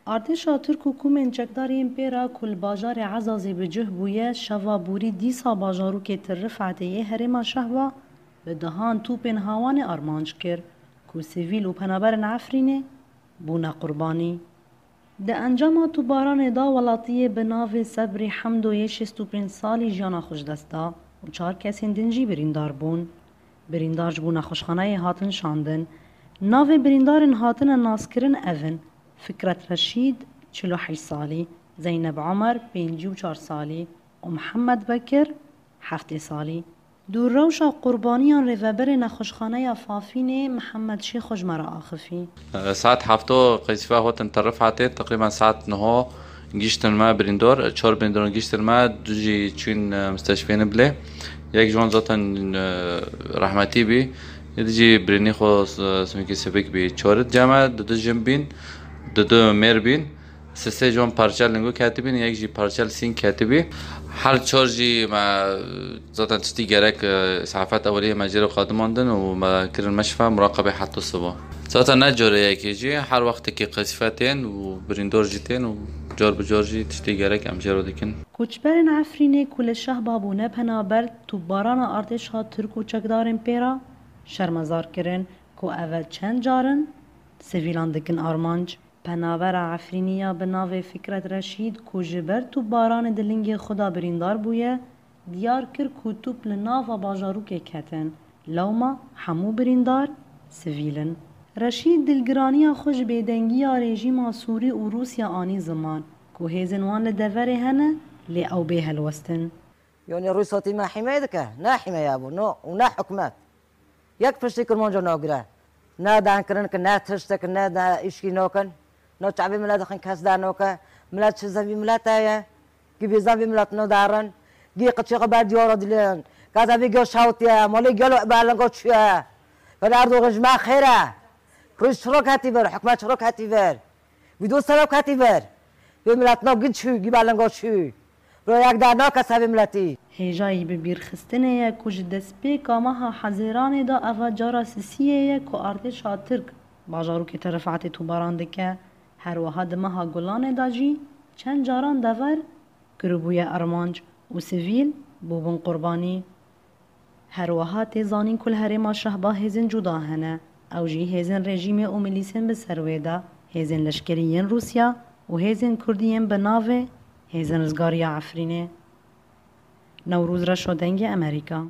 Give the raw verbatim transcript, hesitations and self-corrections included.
Artêşa Tirk û komên çekdar yên pê re ku li bajarê Ezazê bi cih bûye, şeva borî dîsa bajarokê Tir Rifetê yê herêma Şehba bi dehan topên hawanê armanc kir ku sivîl û penaberên Efrînê bûne qurbanî. Di encama topbaranê de welatiyê bi navê Sebrî Hemdo yê şêst û pênc salî jiyana xwe ji dest da û çar kesên din jî birîndar bûn. Birîndar ji bo nexweşxaneyê hatin şandin. Navê birîndarên hatine naskirin ev in: Fikret Reşîd, çil û heşt salî, Zeyneb Omer, pêncî û çar salî, û Mihemed Bekir, heftê salî. Di rewşa qurbaniyan rêveberê nexweşxaneya Fafînê Mihemed Şêxo ji me re axifî. Saet hefto qeysifa hatin Tir Rifetê, teqrîben saet niho giştin me birîndor, çar birîndoran giştin me, du jî çûn, e, misteshfê Niblê. Yek ji wan zaten, e, rehmetî bî. Yê di jî birînî xwe, e, sinkî sivik bî. Çar cem me, du du jin bîn, du du mêr bîn. Sisê ji wan parçel lingo ketibîn, yek jî parçel sîng ketibî. Her çar jî me zaten tiştî gerek, e, îsafet eweliyê me jê re qadimandin û me kirin meşfa muraqebê heta siba. Zaten ne carê yekê jî, her wextekî qesîfe tên û birîndar jî tên û car bi car jî tiştê gerek em jê re dikin. Koçberên Efrînê ku li Şehba bûne penaber, topbarana artêşa Tirk û çekdarên pê re şermezar kirin ku ev çend car in sivîlan dikin armanc. Penabera Efrînî ya bi navê Fikret Reşîd ku ji ber topbaranê di lingê xwe de birîndar bûye, diyar kir ku top li nava bajarokê ketin. Lewma hemû birîndar sivîl in. Reşîd dilgiraniya xwe ji bêdengiya rejîma Sûrî û Rûsya anî ziman ku hêzên wan li deverê hene, lê ew bê helwestin. Yanî Rûsya tî me hîmeyê dike? Ne hîmeya bû, no, û ne hikûmet. Yek piştî Kirmanca nagire. Ne dankirin ki, ne tiştek, ne, ne îşkî nakin. No çavê milet dixin kes dernake. Milet çi zevî milet heye? Gî bêzan vî milet no darin. Gî qıçê xwe ber diyara dilin. Ka zevî gel şawtiye. Malê gel berlinga çiye. Gel Erdogan ji me xêre. Rûs çiro ketî vir, hikûmet çiro ketî vir. Vî dost sere ketî vir. Vê milet no gî çû, gî berlinga çû. Ro yek dernake ser vê miletî. Hêjayî bibîrxistinê ye ku ji destpêka meha Hezêranê de eva cara sisiyê ye ku artêşa Tirk bajarokê Tir Rifetê topbaran dike. Her wiha di meha Gulanê de jî çend caran dever kiribûye armanc û sivîl bûbûn qurbanî. Her wiha tê zanîn ku li herêma Şehba hêzên cuda hene. Ew jî hêzên rejîmê û milîsên bi ser wê de, hêzên leşkerî yên Rûsya û hêzên kurdî yên bi navê Hêzên Rizgariya Efrînê. Newroz Reşo, Dengê Amerîka.